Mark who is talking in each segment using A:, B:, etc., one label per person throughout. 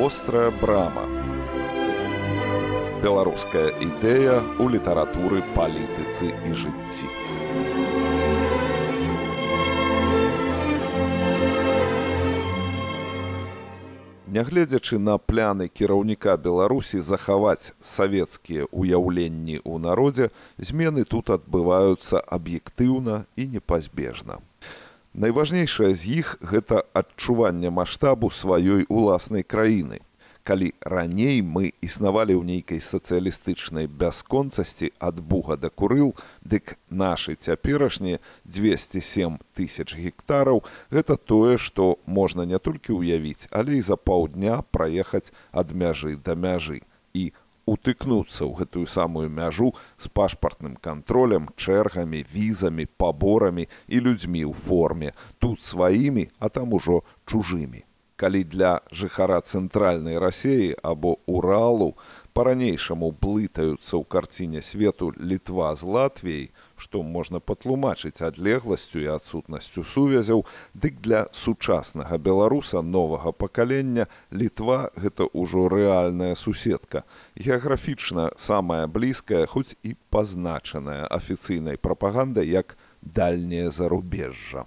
A: Вострая брама. Беларуская ідэя ў літаратуры, палітыцы і жыцці. Нягледзячы на пляны кіраўніка Беларусі захаваць савецкія ўяўленні ў народзе, змены тут адбываюцца аб'ектыўна і непазбежна. Найважнейшае з іх – гэта адчуванне маштабу сваёй уласнай краіны. Калі раней мы існавалі ў нейкай сацыялістычнай бясконцасці ад Буга да Курыл, дык нашы цяперашнія 207 тысяч гектараў – гэта тое, што можна не толькі ўявіць, але і за паўдня праехаць ад мяжы да мяжы і утыкнуцца ў гэтую самую мяжу з пашпартным кантролем, чэргамі, візамі, паборамі і людзьмі ў форме, тут сваімі, а там ужо чужымі. Калі для жыхара цэнтральнай Расіі або Уралу па-ранейшаму блытаюцца ў карціне свету Літва з Латвіяй, што можна патлумачыць адлегласцю і адсутнасцю сувязяў, дык для сучаснага беларуса новага пакалення Літва – гэта ўжо рэальная суседка, геаграфічна самая блізкая, хоць і пазначаная афіцыйнай прапагандай як дальняе зарубежжа.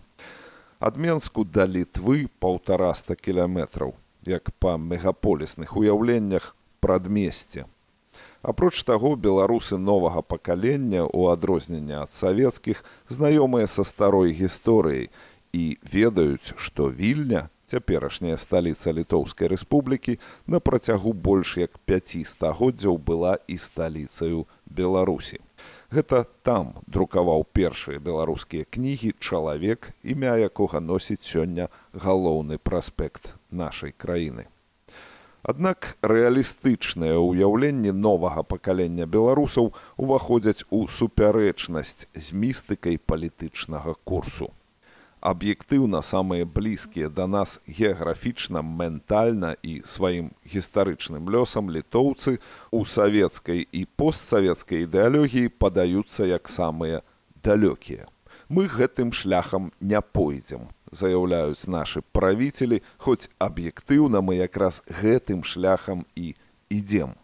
A: Ад Менску да Літвы 150 кіламетраў, як па мегаполісных уяўленнях прадмесце. Апроч таго, беларусы новага пакалення, у адрозненне ад савецкіх, знаёмыя са старой гісторыяй і ведаюць, што Вільня, цяперашняя сталіца Літоўскай рэспублікі, на працягу больш як 5 стагоддзяў была і сталіцаю Беларусі. Гэта там друкаваў першыя беларускія кнігі чалавек, імя якога носіць сёння галоўны праспект нашай краіны. Аднак рэалістычныя ўяўленні новага пакалення беларусаў уваходзяць у супярэчнасць з містыкай палітычнага курсу. Аб'ектыўна самыя блізкія да нас геаграфічна, ментальна і сваім гістарычным лёсам літоўцы ў савецкай і постсавецкай ідэалогіі падаюцца як самыя далёкія. Мы гэтым шляхам не пойдзем, заяўляюць нашы правіцелі, хоць аб'ектыўна мы якраз гэтым шляхам і ідзем.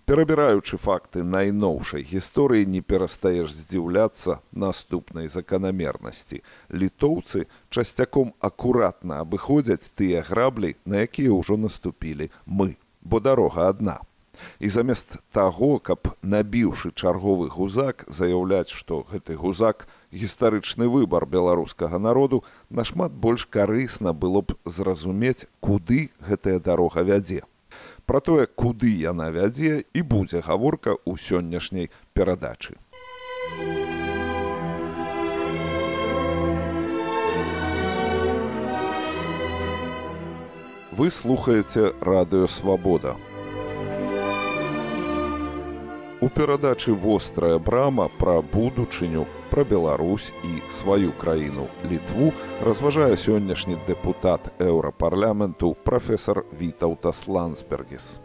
A: Перабіраючы факты найноўшай гісторыі, не перастаеш здзіўляцца наступнай заканамернасці. Літоўцы часцяком акуратна абыходзяць тыя граблі, на якія ўжо наступілі мы, бо дарога адна. І замест таго, каб, набіўшы чарговы гузак, заяўляць, што гэты гузак – гістарычны выбар беларускага народу, нашмат больш карысна было б зразумець, куды гэтая дарога вядзе. Пра тое, куды яна вядзе, і будзе гаворка ў сённяшняй перадачы. Вы слухаеце Радыё Свабода. У перадачы «Вострая брама» пра будучыню, пра Беларусь і сваю краіну Літву разважае сённяшні дэпутат Еўрапарламенту прафесар Вітаўтас Ландсбергіс.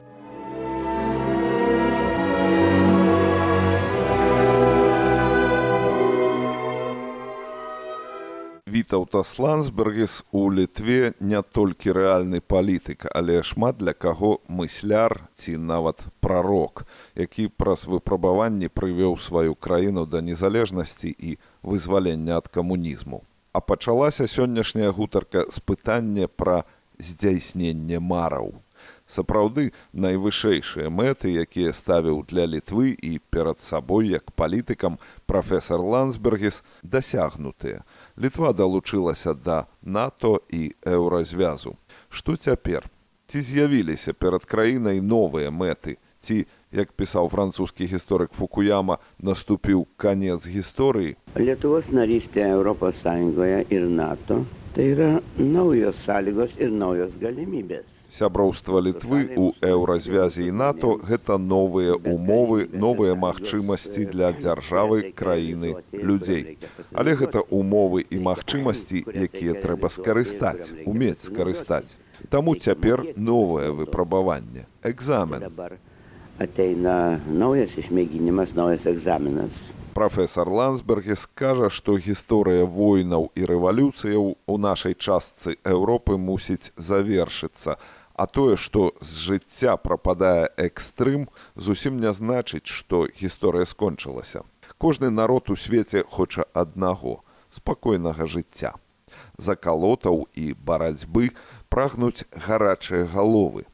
A: Вітаўтас Ландсбергіс у Літве не толькі рэальны палітык, але шмат для каго мысляр ці нават прарок, які праз выпрабаванні прывёў сваю краіну да незалежнасці і вызвалення ад камунізму. А пачалася сённяшняя гутарка з пытання пра здзяйсненне мараў. Сапраўды, найвышэйшыя мэты, якія ставіў для Літвы і перад сабой як палітыкам прафесар Ландсбергіс, дасягнутыя. Літва далучылася да НАТО і Еўразвязу. Што цяпер? Ці з'явіліся перад краінай новыя мэты? Ці, як пісаў французскі гісторык Фукуяма, наступіў канец гісторыі?
B: Lietuvos narystė Europos Sąjungoje ir NATO tai yra naujos sąlygos ir naujos galimybės.
A: Сяброўства Літвы ў Еўразвязе і НАТО – гэта новыя умовы, новыя магчымасці для дзяржавы, краіны, людзей. Але гэта умовы і магчымасці, якія трэба скарыстаць, умець скарыстаць. Таму цяпер новае выпрабаванне – экзамен.
B: Ateina naujas išmėginimas, naujas egzaminas.
A: Прафесар Ландсбергіс кажа, што гісторыя войнаў і рэвалюцыяў у нашай частцы Еўропы мусіць завершыцца, А тое, што з жыцця прападае экстрым, зусім не значыць, што гісторыя скончылася. Кожны народ у свеце хоча аднаго – спакойнага жыцця. Закалотаў і барацьбы прагнуць гарачыя галовы.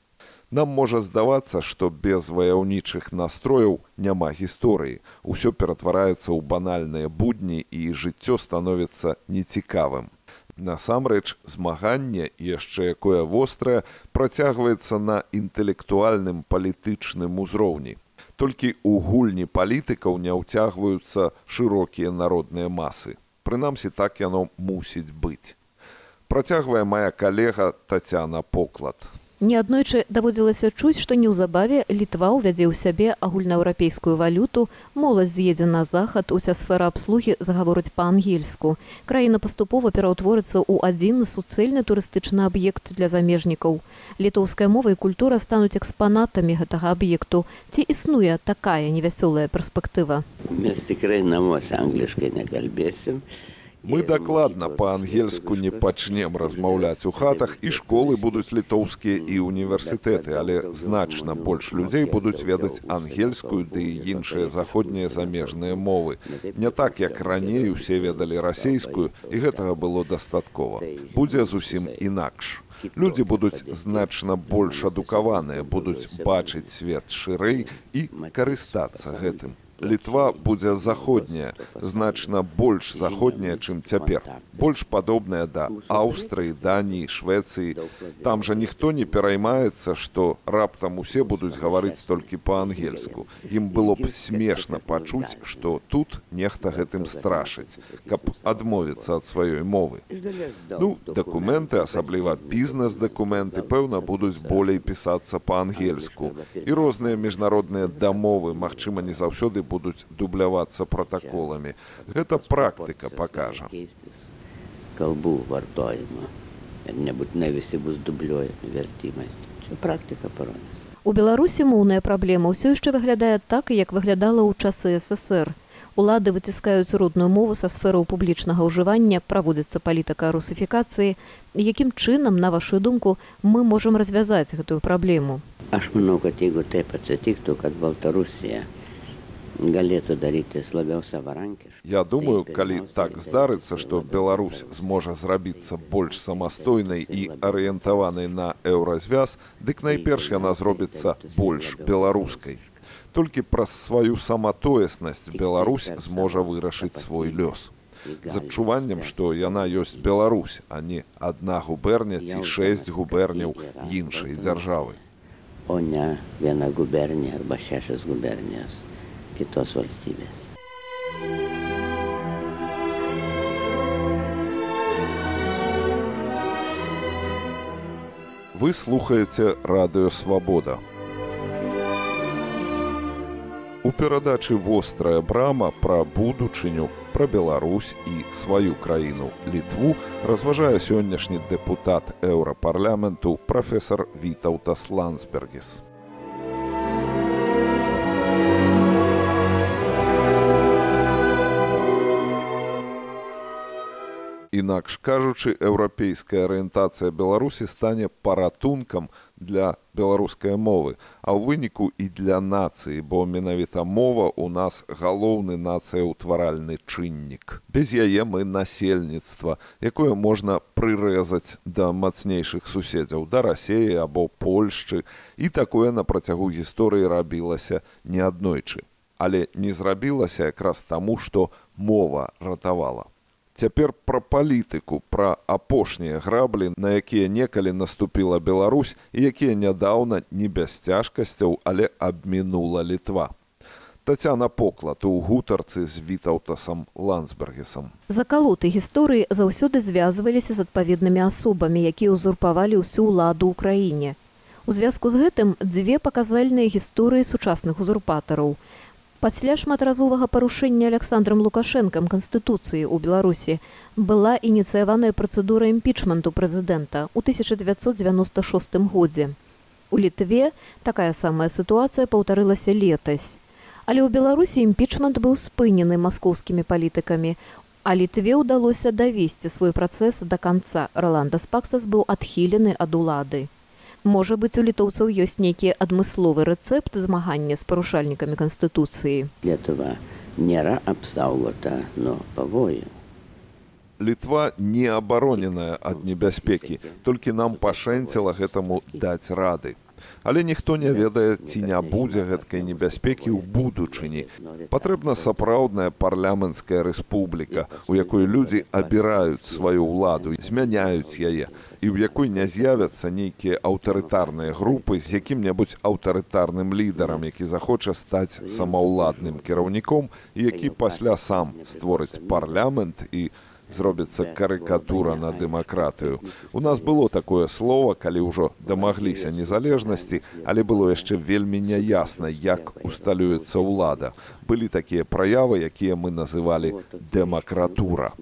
A: Нам можа здавацца, што без ваяўнічых настрояў няма гісторыі. Усё ператвараецца ў банальныя будні і жыццё становіцца нецікавым. Насамрэч, змаганне, яшчэ якое вострае, працягваецца на інтэлектуальным палітычным узроўні. Толькі ў гульні палітыкаў не ўцягваюцца шырокія народныя масы. Прынамсі, так яно мусіць быць. Працягвае мая калега Тацяна Поклад.
C: Неаднойчы даводзілася чуць, што неўзабаве Літва ўвядзе ў сябе агульнаеўрапейскую валюту, моладзь з'едзе на захад, уся сфера абслугі загаворыць па-ангельску. Краіна паступова пераўтворыцца ў адзіны суцэльны турыстычны аб'ект для замежнікаў. Літоўская мова і культура стануць экспанатамі гэтага аб'екту. Ці існуе такая невясёлая перспектыва?
B: Mes tikrai namuose angliškai nekalbėsim.
A: Мы дакладна па-ангельску не пачнем размаўляць у хатах, і школы будуць літоўскія і універсітэты, але значна больш людзей будуць ведаць ангельскую ды і іншыя заходнія замежныя мовы. Не так, як раней усе ведалі расейскую, і гэтага было дастаткова. Будзе зусім інакш. Людзі будуць значна больш адукаваныя, будуць бачыць свет шырэй і карыстацца гэтым. Літва будзе заходняя, значна больш заходняя, чым цяпер. Больш падобная да Аўстрыі, Даніі, Швецыі. Там жа ніхто не пераймаецца, што раптам усе будуць гаварыць толькі па-ангельску. Ім было б смешна пачуць, што тут нехта гэтым страшыць, каб адмовіцца ад сваёй мовы. Ну, дакументы, асабліва бізнес-дакументы, пэўна, будуць болей пісацца па-ангельску. І розныя міжнародныя дамовы, магчыма, не заўсёды будуць дублявацца пратаколамі. Гэта практыка пакажа.
B: Kalbų vartojimo. Ir nebūtinai visi bus dubliuojami vertimais. Čia практика parodys.
C: У Беларусі моўная праблема ўсё яшчэ выглядае так, як выглядала ў часы ССР. Улады выціскаюць родную мову са сфераў публічнага ўжывання, праводзіцца палітыка русифікацыі. Якім чынам, на вашу думку, мы можам развязаць гэтую праблему?
B: Aš manau, kad jeigu taip atsitiktų, kad Baltarusija galėtų daryti labiau savarankiškai.
A: Я думаю, калі так здарыцца, што Беларусь зможа зрабіцца больш самастойнай і арыентаванай на еўразвяз, дык найперш яна зробіцца больш беларускай. Толькі праз сваю саматоеснасць Беларусь зможа вырашыць свой лёс. З адчуваннем, што яна ёсць Беларусь, а не адна губерня ці 6 губерняў іншай дзяржавы.
B: O ne viena gubernija arba 6 gubernijos kitos valstybės.
A: Вы слухаеце Радыё Свабода. У перадачы «Вострая брама» пра будучыню, пра Беларусь і сваю краіну Літву разважае сённяшні дэпутат Еўрапарламенту прафесар Вітаўтас Ландсбергіс. Інакш кажучы, еўрапейская арыентацыя Беларусі стане паратункам для беларускай мовы, а ў выніку і для нацыі, бо менавіта мова ў нас галоўны нацыяўтваральны чыннік. Без яе мы насельніцтва, якое можна прырэзаць да мацнейшых суседзяў, да Расеі або Польшчы, і такое на працягу гісторыі рабілася неаднойчы. Але не зрабілася якраз таму, што мова ратавала. Цяпер пра палітыку, пра апошнія граблі, на якія некалі наступіла Беларусь і якія нядаўна не без цяжкасцяў, але абмінула Літва. Тацяна Поклад у гутарцы з Вітаўтасам Ландсбергісам.
C: Закалоты гісторыі заўсёды звязваліся з адпаведнымі асобамі, якія ўзурпавалі ўсю ўладу ў краіне. У звязку з гэтым дзве паказальныя гісторыі сучасных узурпатараў. Пасля шматразовага парушэння Александрам Лукашэнкам Канстытуцыі ў Беларусі была ініцыяваная працэдура імпічменту прэзідэнта ў 1996 годзе. У Літве такая самая сітуацыя паўтарылася летась. Але ў Беларусі імпічмент быў спынены маскоўскімі палітыкамі, а Літве ўдалося давесці свой працэс да канца. Роландас Паксас быў адхілены ад улады. Можа быць, у літоўцаў ёсць нейкі адмысловы рэцэпт змагання з парушальнікамі Канстытуцыі?
B: Lietuva nėra apsaugota nuo pavojų.
A: Літва не абароненая ад небяспекі, толькі нам пашэнціла гэтаму даць рады. Але ніхто не ведае, ці не будзе гэткай небяспекі ў будучыні. Патрэбна сапраўдная парламенцкая рэспубліка, у якой людзі абіраюць сваю ўладу, змяняюць яе, і ў якой не з'явяцца нейкія аўтарытарныя групы з якім-небудзь аўтарытарным лідарам, які захоча стаць самаўладным кіраўніком і які пасля сам створыць парламент і зробіцца карыкатура на дэмакратыю. У нас было такое слово, калі ўжо дамагліся незалежнасці, але было яшчэ вельмі няясна, як усталюецца ўлада. Былі такія праявы, якія мы называлі дэмакратура.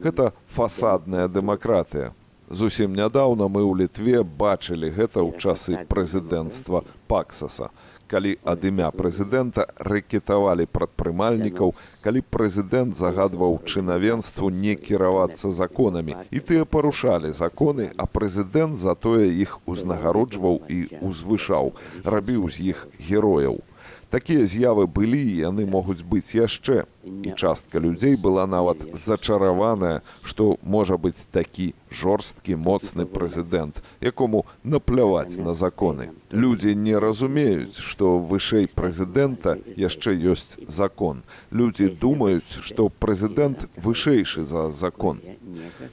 A: Гэта фасадная дэмакратыя. Зусім нядаўна мы ў Літве бачылі гэта ў часы прэзідэнцтва Паксаса. Калі ад імя прэзідэнта рэкетавалі прадпрымальнікаў, калі прэзідэнт загадваў чынавенству не кіравацца законамі. І тыя парушалі законы, а прэзідэнт затое іх узнагароджваў і узвышаў, рабіў з іх герояў. Такія з'явы былі, і яны могуць быць яшчэ. І частка людзей была нават зачараваная, што можа быць такі жорсткі, моцны прэзідэнт, якому напляваць на законы. Людзі не разумеюць, што вышэй прэзідэнта яшчэ ёсць закон. Людзі думаюць, што прэзідэнт вышэйшы за закон.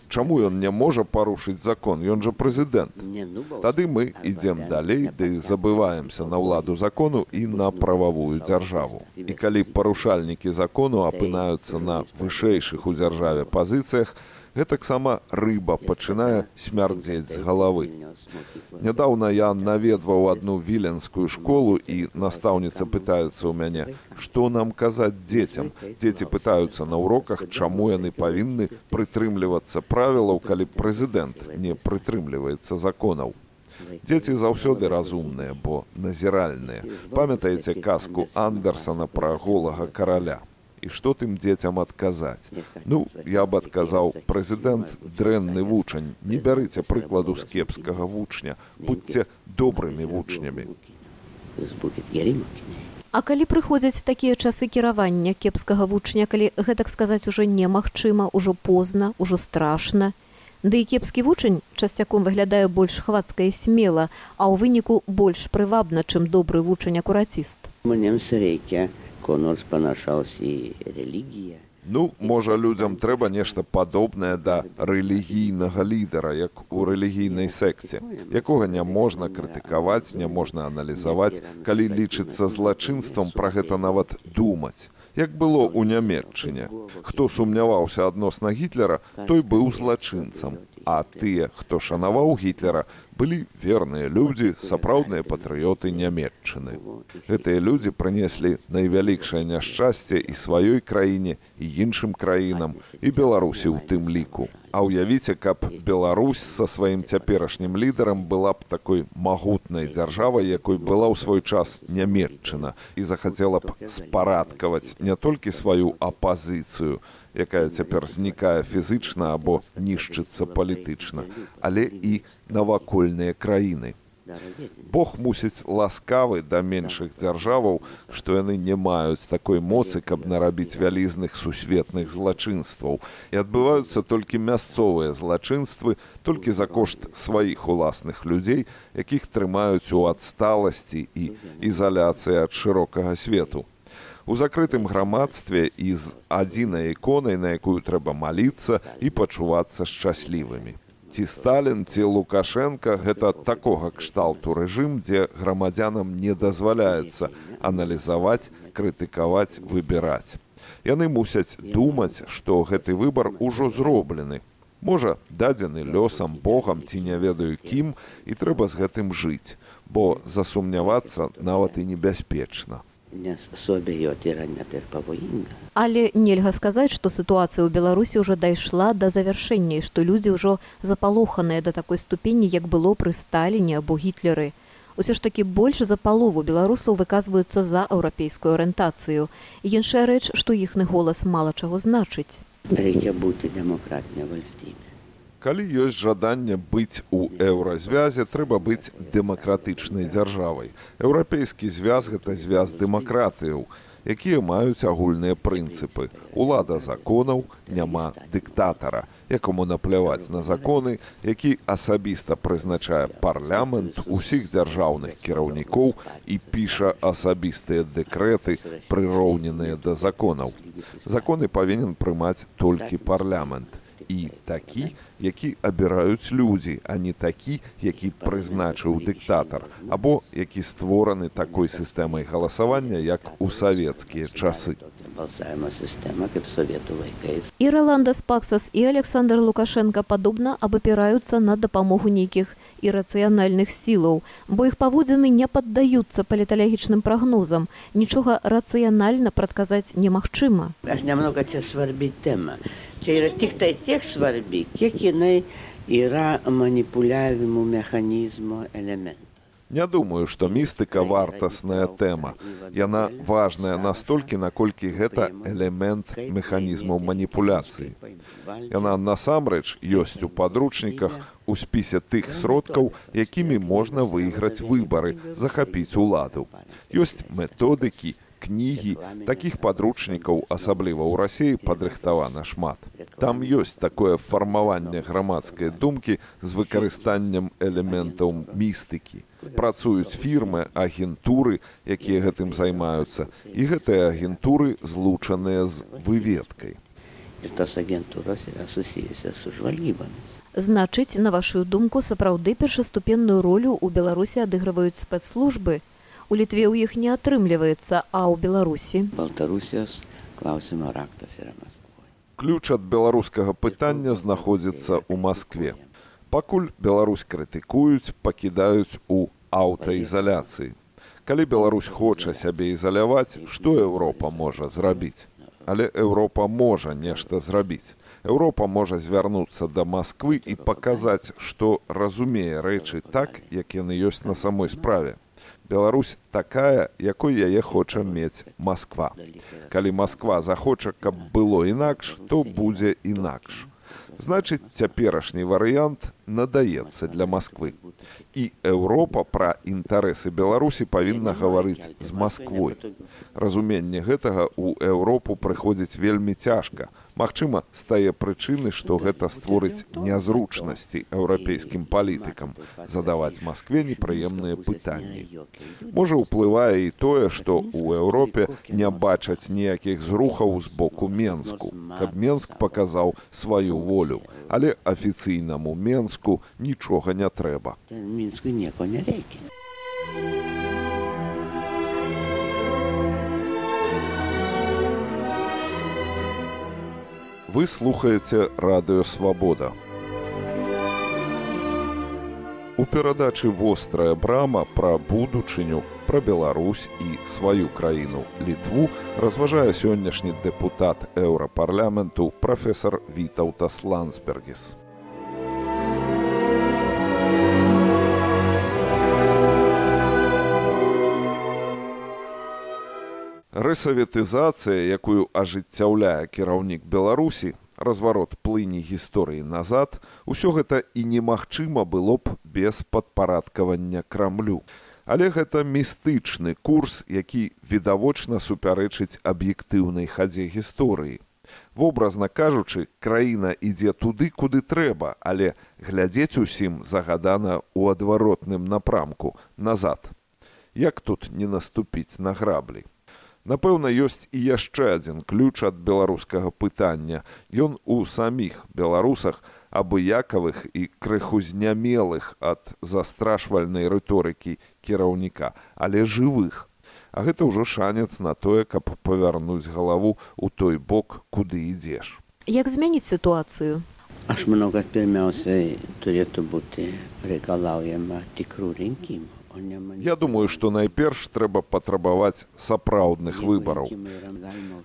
A: Чаму ён не можа парушыць закон? Ён жа прэзідэнт. Тады мы ідзем далей, ды забываемся на ўладу закону і на прававую дзяржаву. І калі парушальнікі закону апынаюцца на вышэйшых у дзяржаве пазіцыях, гэтаксама рыба пачынае смярдзець з галавы. Нядаўна я наведваў адну віленскую школу, і настаўніца пытаецца ў мяне, што нам казаць дзецям. Дзеці пытаюцца на уроках, чаму яны павінны прытрымлівацца правілаў, калі прэзідэнт не прытрымліваецца законаў. Дзеці заўсёды разумныя, бо назіральныя. Памятаеце казку Андерсана пра голага караля? І што тым дзецям адказаць? Ну, я б адказаў, прэзідэнт дрэнны вучань, не бярыце прыкладу з кепскага вучня, будьце добрымі вучнямі.
C: А калі прыходзяць такія часы кіравання кепскага вучня, калі, гэтак сказаць, ужо немагчыма, ужо позна, ужо страшна, ды і кепскі вучань часцяком выглядае больш хвацка і смела, а ў выніку больш прывабна, чым добры вучань-акураціст.
B: Mums reikia ko nors panašaus į religiją.
A: Ну, можа, людзям трэба нешта падобнае да рэлігійнага лідара, як у рэлігійнай секце, якога не можна крытыкаваць, не можна аналізаваць, калі лічыцца злачынствам, пра гэта нават думаць. Як было ў Нямецчыне. Хто сумняваўся адносна Гітлера, той быў злачынцам. А тыя, хто шанаваў Гітлера, былі верныя людзі, сапраўдныя патрыёты Нямецчыны. Гэтыя людзі прынеслі найвялікшае няшчасце і сваёй краіне, і іншым краінам, і Беларусі ў тым ліку. А ўявіце, каб Беларусь са сваім цяперашнім лідарам была б такой магутнай дзяржавай, якой была ў свой час Нямецчына, і захацела б спарадкаваць не толькі сваю апазіцыю, якая цяпер знікае фізычна або нішчыцца палітычна, але і навакольныя краіны. Бог мусіць ласкавы да меншых дзяржаваў, што яны не маюць такой моцы, каб нарабіць вялізных сусветных злачынстваў. І адбываюцца толькі мясцовыя злачынствы, толькі за кошт сваіх уласных людзей, якіх трымаюць у адсталасці і ізаляцыі ад шырокага свету. У закрытым грамадстве і з адзінай іконай, на якую трэба маліцца і пачувацца шчаслівымі. Ці Сталін, ці Лукашенка – гэта такога кшталту рэжым, дзе грамадзянам не дазваляецца аналізаваць, крытыкаваць, выбіраць. Яны мусяць думаць, што гэты выбар ужо зроблены. Можа, дадзены лёсам, Богам ці не ведаю кім, і трэба з гэтым жыць, бо засумнявацца нават і небяспечна.
C: Але нельга сказаць, што сітуацыя ў Беларусі ўжо дайшла да завяршэння, і што людзі ўжо запалоханыя да такой ступені, як было пры Сталіне або Гітлеры. Усё ж такі больш за палову беларусаў выказваюцца за еўрапейскую арыентацыю. Іншая рэч, што іхны голас мала чаго значыць.
B: Reikia būti demokratinė valstybė.
A: Калі ёсць жаданне быць у еўразвязе, трэба быць дэмакратычнай дзяржавай. Еўрапейскі звяз – гэта звяз дэмакратыяў, якія маюць агульныя прынцыпы. Улада законаў, няма дыктатара, якому напляваць на законы, які асабіста прызначае парламент усіх дзяржаўных кіраўнікоў і піша асабістыя дэкрэты, прыроўненыя да законаў. Законы павінен прымаць толькі парламент. І такі, які абіраюць людзі, а не такі, які прызначыў дыктатар, або які створаны такой сістэмай галасавання, як у савецкія часы.
C: І Роландас Паксас, і Александр Лукашенко падобна абапіраюцца на дапамогу нейкіх ірацыянальных сілаў, бо іх паводзіны не паддаюцца паліталагічным прагнозам. Нічога рацыянальна прадказаць немагчыма.
B: Немного ця сварбіць тэма. Tik tai tiek svarbi, kiek jinai yra manipuliavimo mechanizmo elementas.
A: Не думаю, што містыка вартасная тэма. Яна важная настолькі, наколькі гэта элемент механізмаў маніпуляцыі. Яна насамрэч ёсць у падручніках у спісе тых сродкаў, якімі можна выйграць выбары, захапіць уладу. Ёсць методыкі, кнігі, такіх падручнікаў, асабліва ў Расіі, падрыхтавана шмат. Там ёсць такое фармаванне грамадскай думкі з выкарыстаннем элементаў містыкі. Працуюць фірмы, агентуры, якія гэтым займаюцца, і гэтыя агентуры злучаныя з выведкай.
C: Значыць, на вашу думку, сапраўды першаступенную ролю ў Беларусі адыгрываюць спецслужбы? У Літве ў іх не атрымліваецца, а ў Беларусі?
A: Ключ ад беларускага пытання знаходзіцца ў Маскве. Пакуль Беларусь крытыкуюць, пакідаюць у аўтаізаляцыі. Калі Беларусь хоча сябе ізаляваць, што Еўропа можа зрабіць? Але Еўропа можа нешта зрабіць. Еўропа можа звярнуцца да Масквы і паказаць, што разумее рэчы так, як яны ёсць на самой справе. Беларусь такая, якой яе хоча мець Масква. Калі Масква захоча, каб было інакш, то будзе інакш. Значыць, цяперашні варыянт надаецца для Масквы. І Еўропа пра інтарэсы Беларусі павінна гаварыць з Масквой. Разуменне гэтага ў Еўропу прыходзіць вельмі цяжка. Магчыма, з тае прычыны, што гэта створыць нязручнасці еўрапейскім палітыкам, задаваць Маскве непрыемныя пытанні. Можа, уплывае і тое, што ў Еўропе не бачаць ніякіх зрухаў з боку Менску, каб Менск паказаў сваю волю, але афіцыйнаму Менску нічога не трэба.
B: Мінску ніякого не рейки.
A: Вы слухаеце Радыё Свабода. У перадачы «Вострая брама» пра будучыню, пра Беларусь і сваю краіну Літву разважае сённяшні дэпутат Еўрапарламенту прафесар Вітаўтас Ландсбергіс. Рэсаветызацыя, якую ажыццяўляе кіраўнік Беларусі, разварот плыні гісторыі назад, усё гэта і немагчыма было б без падпарадкавання Крамлю. Але гэта містычны курс, які відавочна супярэчыць аб'ектыўнай хадзе гісторыі. Вобразна кажучы, краіна ідзе туды, куды трэба, але глядзець усім загадана ў адваротным напрамку, назад. Як тут не наступіць на граблі? Напэўна, ёсць і яшчэ адзін ключ ад беларускага пытання. Ён у саміх беларусах, абыякавых і крыху знямелых ад застрашвальнай рыторыкі кіраўніка, але жывых. А гэта ўжо шанец на тое, каб павярнуць галаву ў той бок, куды ідзеш.
C: Як змяніць сітуацыю?
B: Аж много pirmiausiai turėtų būti reikalaujama tikrų rinkimų.
A: Я думаю, што найперш трэба патрабаваць сапраўдных выбараў.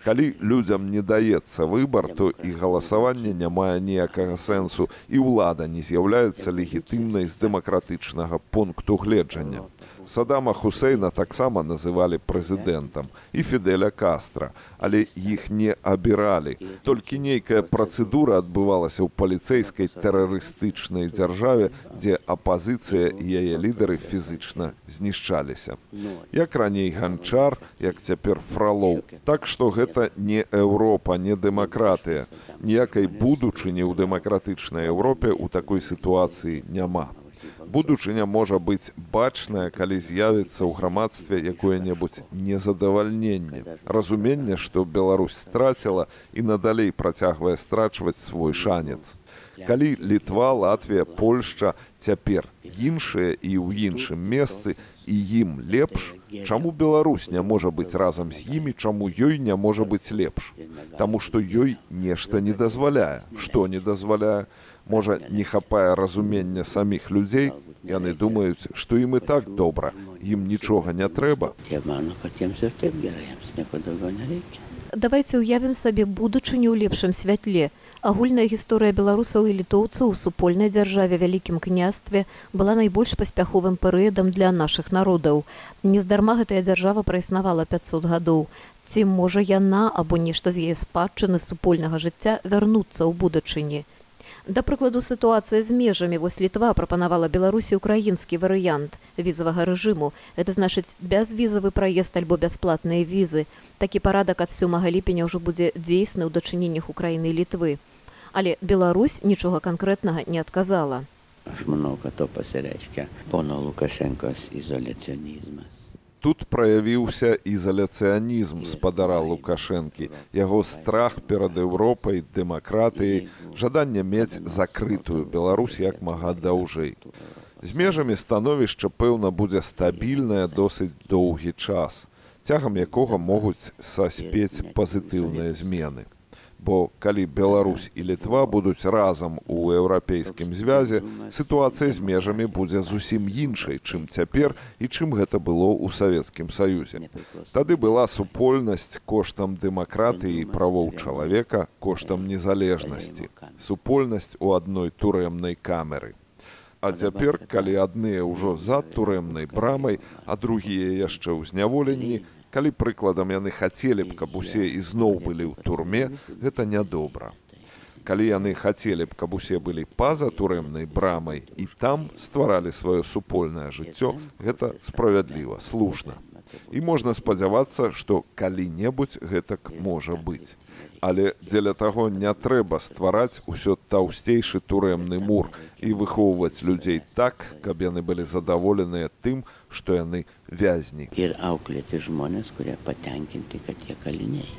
A: Калі людзям не даецца выбар, то і галасаванне не мае ніякага сэнсу, і ўлада не з'яўляецца легітымнай з дэмакратычнага пункту гледжання. Садама Хусейна таксама называлі прэзідэнтам і Фідэля Кастра, але іх не абіралі. Толькі нейкая працэдура адбывалася ў паліцэйскай тэрарыстычнай дзяржаве, дзе апазіцыя і яе лідары фізычна знішчаліся. Як раней Ганчар, як цяпер Фролоў. Так што гэта не Еўропа, не дэмакратыя. Ніякай будучыні ў дэмакратычнай Еўропе ў такой сітуацыі няма. Будучыня можа быць бачная, калі з'явіцца ў грамадстве якое-небудзь незадавальненне. Разуменне, што Беларусь страціла і надалей працягвае страчваць свой шанец. Калі Літва, Латвія, Польшча цяпер іншыя і ў іншым месцы, і ім лепш, чаму Беларусь не можа быць разам з імі, чаму ёй не можа быць лепш? Таму што ёй нешта не дазваляе. Што не дазваляе? Можа, не хапае разумення саміх людзей, яны думаюць, што ім і так добра, ім нічога не трэба.
C: Давайце ўявім сабе будучыню ў лепшым святле. Агульная гісторыя беларусаў і літоўцаў у супольнай дзяржаве Вялікім княстве была найбольш паспяховым перыядам для нашых народаў. Нездарма гэтая дзяржава праіснавала 500 гадоў. Ці можа яна або нешта з яе спадчыны супольнага жыцця вярнуцца ў будучыні? Да прыкладу, сітуацыя з межамі. Вось Літва прапанавала Беларусі ўкраінскі варыянт візавага рэжыму. Гэта значыць бязвізавы праезд альбо бясплатныя візы. Такі парадак ад 7 ліпеня ўжо будзе дзейсны ў дачыненнях Украіны і Літвы. Але Беларусь нічога канкрэтнага не адказала.
B: Много то пасярэчка пана Лукашенка з ізоляцыянізма.
A: Тут праявіўся ізаляцыянізм спадара Лукашэнкі, яго страх перад Еўропай, дэмакратыяй, жаданне мець закрытую Беларусь як мага даўжэй. З межамі становішча, пэўна, будзе стабільнае досыць доўгі час, цягам якога могуць саспець пазітыўныя змены. Бо калі Беларусь і Літва будуць разам у еўрапейскім звязе, сітуацыя з межамі будзе зусім іншай, чым цяпер і чым гэта было ў Савецкім Саюзе. Тады была супольнасць коштам дэмакратыі і правоў чалавека, коштам незалежнасці, супольнасць у адной турэмнай камеры. А цяпер, калі адныя ўжо за турэмнай брамай, а другія яшчэ ў зняволенні, калі прыкладам яны хацелі б, каб усе ізноў былі ў турме, гэта нядобра. Калі яны хацелі б, каб усе былі па-за турэмнай брамай і там стваралі сваё супольнае жыццё, гэта справядліва, слушна. І можна спадзявацца, што калі-небудзь гэтак можа быць. Але дзеля таго не трэба ствараць усё таўсцейшы турэмны мур і выхоўваць людзей так, каб яны былі задаволеныя тым, што яны вязні.
B: Ir auklėti žmonės, kurie patenkinti, kad jie kaliniai.